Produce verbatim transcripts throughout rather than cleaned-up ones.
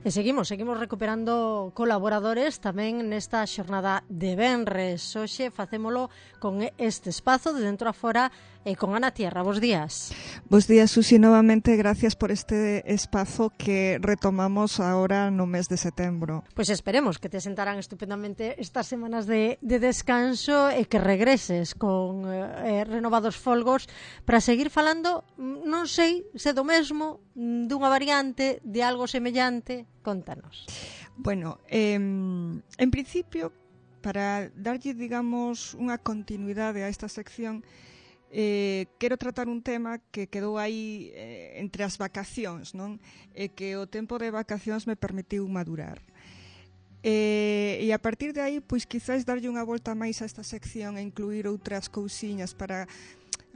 E seguimos, seguimos recuperando colaboradores tamén nesta xornada de venres. Hoxe facémolo con este espazo de dentro a fora e con Ana Tierra. Bos días. Bos días, Susi, novamente gracias por este espazo que retomamos ahora no mes de setembro. Pois esperemos que te sentarán estupendamente estas semanas de, de descanso e que regreses con eh, renovados folgos para seguir falando, non sei se do mesmo, dunha variante, de algo semellante. Contanos. Bueno, eh, en principio, para darlle, digamos, unha continuidade a esta sección, eh, quero tratar un tema que quedou aí eh, entre as vacacións, non? E que o tempo de vacacións me permitiu madurar. E, e a partir de aí, pois quizás darlle unha volta máis a esta sección e incluir outras cousiñas para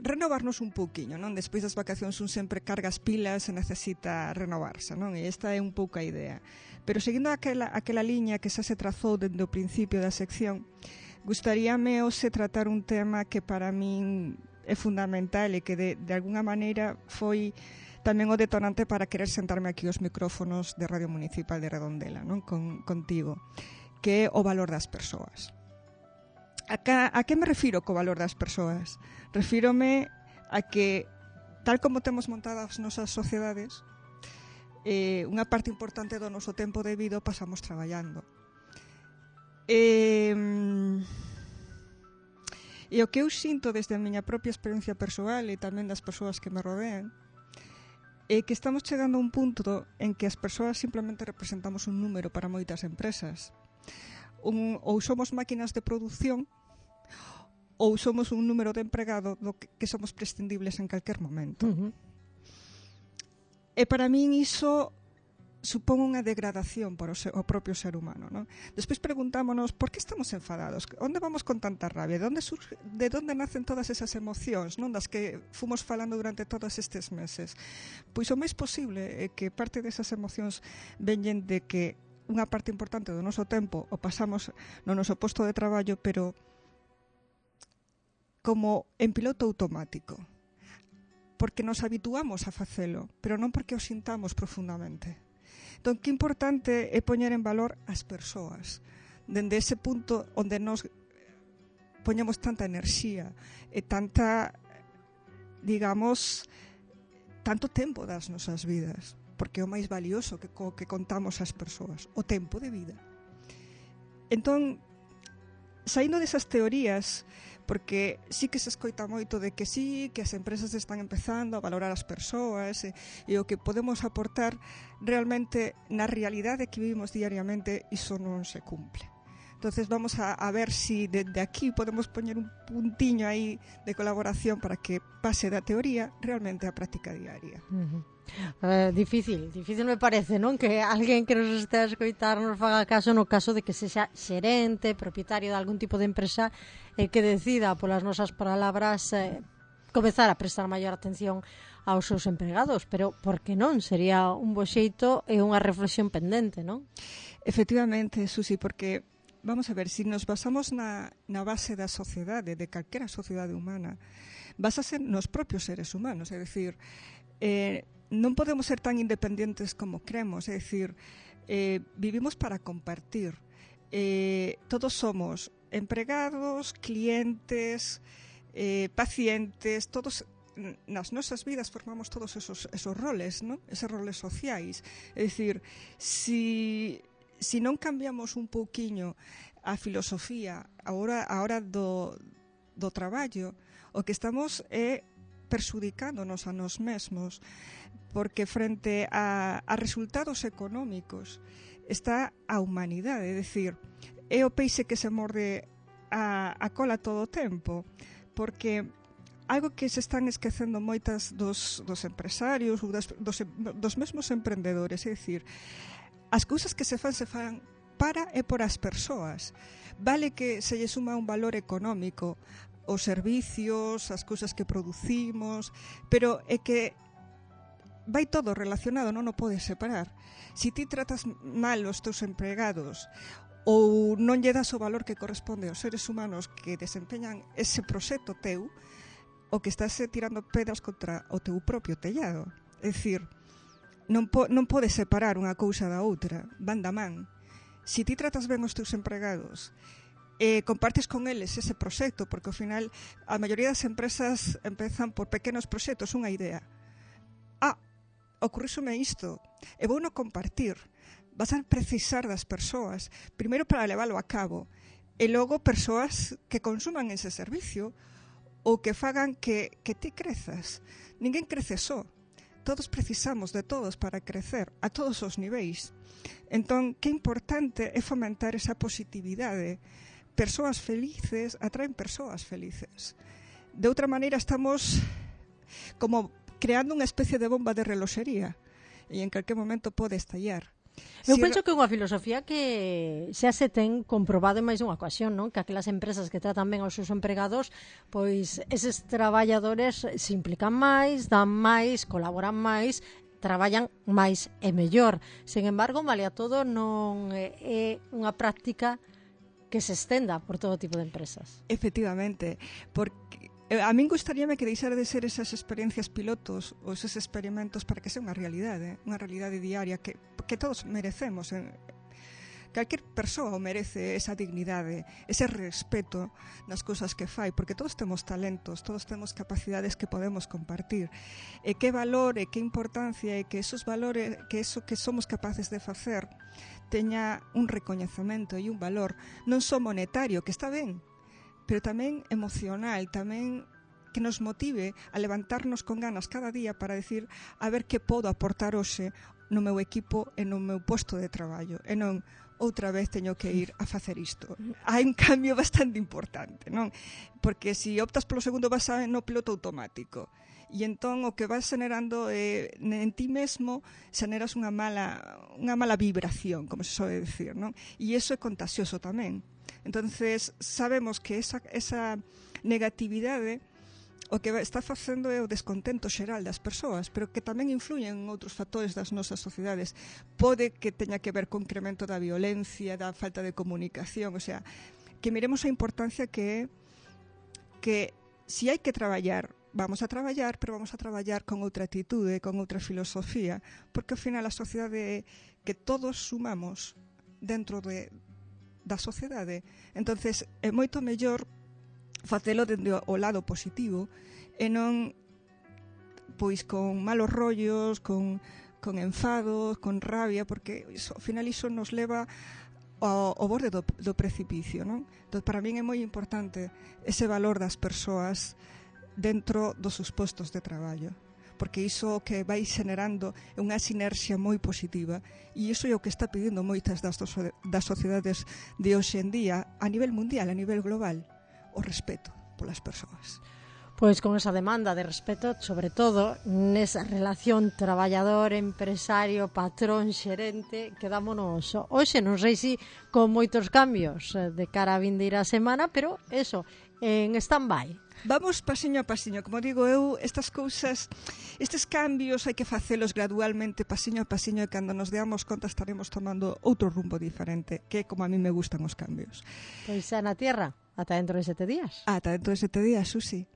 renovarnos un pouquiño, non? Despois das vacacións un sempre carga as pilas e necesita renovarse, non? E esta é un pouco a idea. Pero seguindo aquela, aquela liña que xa se trazou dende o principio da sección, gustaríame hoxe tratar un tema que para min é fundamental e que de, de alguna maneira foi tamén o detonante para querer sentarme aquí aos micrófonos de Radio Municipal de Redondela, non? Con, contigo, que é o valor das persoas. A, ca, a que me refiro co valor das persoas? Refírome a que, tal como temos montadas as nosas sociedades, eh, unha parte importante do noso tempo de vida pasamos traballando. E, e o que eu sinto desde a miña propia experiencia persoal e tamén das persoas que me rodean é que estamos chegando a un punto en que as persoas simplemente representamos un número para moitas empresas. Un, ou somos máquinas de produción ou somos un número de empregado do que, que somos prescindibles en calquer momento. Uh-huh. E para min iso supón unha degradación para o, ser, o propio ser humano, non? Despois preguntámonos por que estamos enfadados, onde vamos con tanta rabia, de onde, surge, de onde nacen todas esas emocións, non, das que fomos falando durante todos estes meses. Pois o máis posible é que parte desas emocións veñen de que unha parte importante do noso tempo o pasamos no noso posto de traballo, pero como en piloto automático, porque nos habituamos a facelo, pero non porque o sintamos profundamente. Entón, que importante é poñer en valor as persoas, dende ese punto onde nos poñemos tanta enerxía e tanta, digamos, tanto tempo das nosas vidas, porque é o máis valioso que, co que contamos as persoas, o tempo de vida. Entón, saindo desas teorías, porque sí que se escoita moito de que sí, que as empresas están empezando a valorar as persoas e, e o que podemos aportar, realmente na realidade que vivimos diariamente iso non se cumple. Entonces vamos a, a ver si desde aquí podemos poñer un puntiño aí de colaboración para que pase da teoría realmente á práctica diaria. Uh-huh. Uh, difícil, difícil me parece, non? Que alguén que nos estea a escoitar nos faga caso no caso de que sexa xerente, propietario de algún tipo de empresa e eh, que decida polas nosas palabras eh, comezar a prestar maior atención aos seus empregados, pero por que non? Sería un bo xeito e unha reflexión pendente, non? Efectivamente, Susi, porque vamos a ver, se si nos basamos na, na base da sociedade, de calquera sociedade humana, basase nos propios seres humanos, é dicir, eh, non podemos ser tan independentes como cremos, é dicir, eh, vivimos para compartir. Eh, todos somos empregados, clientes, eh, pacientes, todos nas nosas vidas formamos todos esos, esos roles, ¿no? Esos roles sociais. É dicir, si, si non cambiamos un pouquiño a filosofía a hora, a hora do, do traballo, o que estamos é perxudicándonos a nós mesmos, porque frente a, a resultados económicos está a humanidade, é dicir, é o peixe que se morde a, a cola todo o tempo, porque algo que se están esquecendo moitas dos, dos empresarios ou das, dos, dos mesmos emprendedores, é dicir, as cousas que se fan se fan para e por as persoas. Vale que se lle suma un valor económico os servicios, as cousas que producimos, pero é que vai todo relacionado, non o podes separar. Si ti tratas mal os teus empregados ou non lle das o valor que corresponde aos seres humanos que desempeñan ese proxecto teu, o que estás tirando pedras contra o teu propio tellado. É dicir, non, po, non podes separar unha cousa da outra, van da man. Se ti tratas ben os teus empregados, eh, compartes con eles ese proxecto, porque ao final a maioría das empresas empezan por pequenos proxectos, unha idea. Ah, ocurrísome isto, e vou no compartir. Vas a precisar das persoas, primeiro para leválo a cabo, e logo persoas que consuman ese servicio ou que fagan que, que ti crezas. Ninguén crece só. Todos precisamos de todos para crecer, a todos os niveis. Entón, que importante é fomentar esa positividade. Persoas felices atraen persoas felices. De outra maneira, estamos como creando unha especie de bomba de reloxería e en calquer momento pode estallar. Eu penso que é unha filosofía que xa se ten comprobado en máis dunha ocasión, non? Que aquelas empresas que tratan ben aos seus empregados, pois eses traballadores se implican máis, dan máis, colaboran máis, traballan máis e mellor. Sen embargo, malia todo, non é unha práctica que se estenda por todo tipo de empresas. Efectivamente, porque a min gustaríame que deixara de ser esas experiencias pilotos ou esos experimentos para que sea unha realidade, unha realidade diaria que, que todos merecemos. Calquer persoa merece esa dignidade, ese respeto nas cousas que fai, porque todos temos talentos, todos temos capacidades que podemos compartir. E que valor e que importancia e que esos valores, que eso que somos capaces de facer teña un recoñecemento e un valor non só monetario, que está ben, pero tamén emocional, tamén que nos motive a levantarnos con ganas cada día para decir a ver que podo aportar hoxe no meu equipo e no meu posto de traballo, e non outra vez teño que ir a facer isto. Hai un cambio bastante importante, non? Porque se si optas polo segundo vas a, no piloto automático, e entón o que vas generando eh, en ti mesmo generas unha mala unha mala vibración, como se soe decir, non? E iso é contagioso tamén. Entonces sabemos que esa, esa negatividade o que está facendo é o descontento xeral das persoas, pero que tamén influyen en outros factores das nosas sociedades. Pode que teña que ver con incremento da violencia, da falta de comunicación, o sea, que miremos a importancia que é que si hai que traballar, vamos a traballar, pero vamos a traballar con outra atitude, con outra filosofía, porque ao final a sociedade que todos sumamos dentro de, da sociedade, entonces é moito mellor facelo dende o lado positivo e non pois con malos rollos, con, con enfados, con rabia, porque iso, ao final iso nos leva ao, ao borde do, do precipicio, non? Entón, para min é moi importante ese valor das persoas dentro dos seus postos de traballo, porque iso que vai generando é unha sinerxia moi positiva, e iso é o que está pedindo moitas das, das sociedades de hoxe en día a nivel mundial, a nivel global, o respeto polas persoas. Pois con esa demanda de respeto, sobre todo nesa relación traballador, empresario, patrón, xerente, quedámonos hoxe, non sei se con moitos cambios de cara a vindeira semana, pero eso, en stand-by. Vamos pasiño a pasiño, como digo eu, estas cousas, estes cambios hai que facelos gradualmente, pasiño a pasiño, e cando nos deamos conta estaremos tomando outro rumbo diferente, que é como a mí me gustan os cambios. Pois xa na tierra, ata dentro de sete días. Ata dentro de sete días, Susi.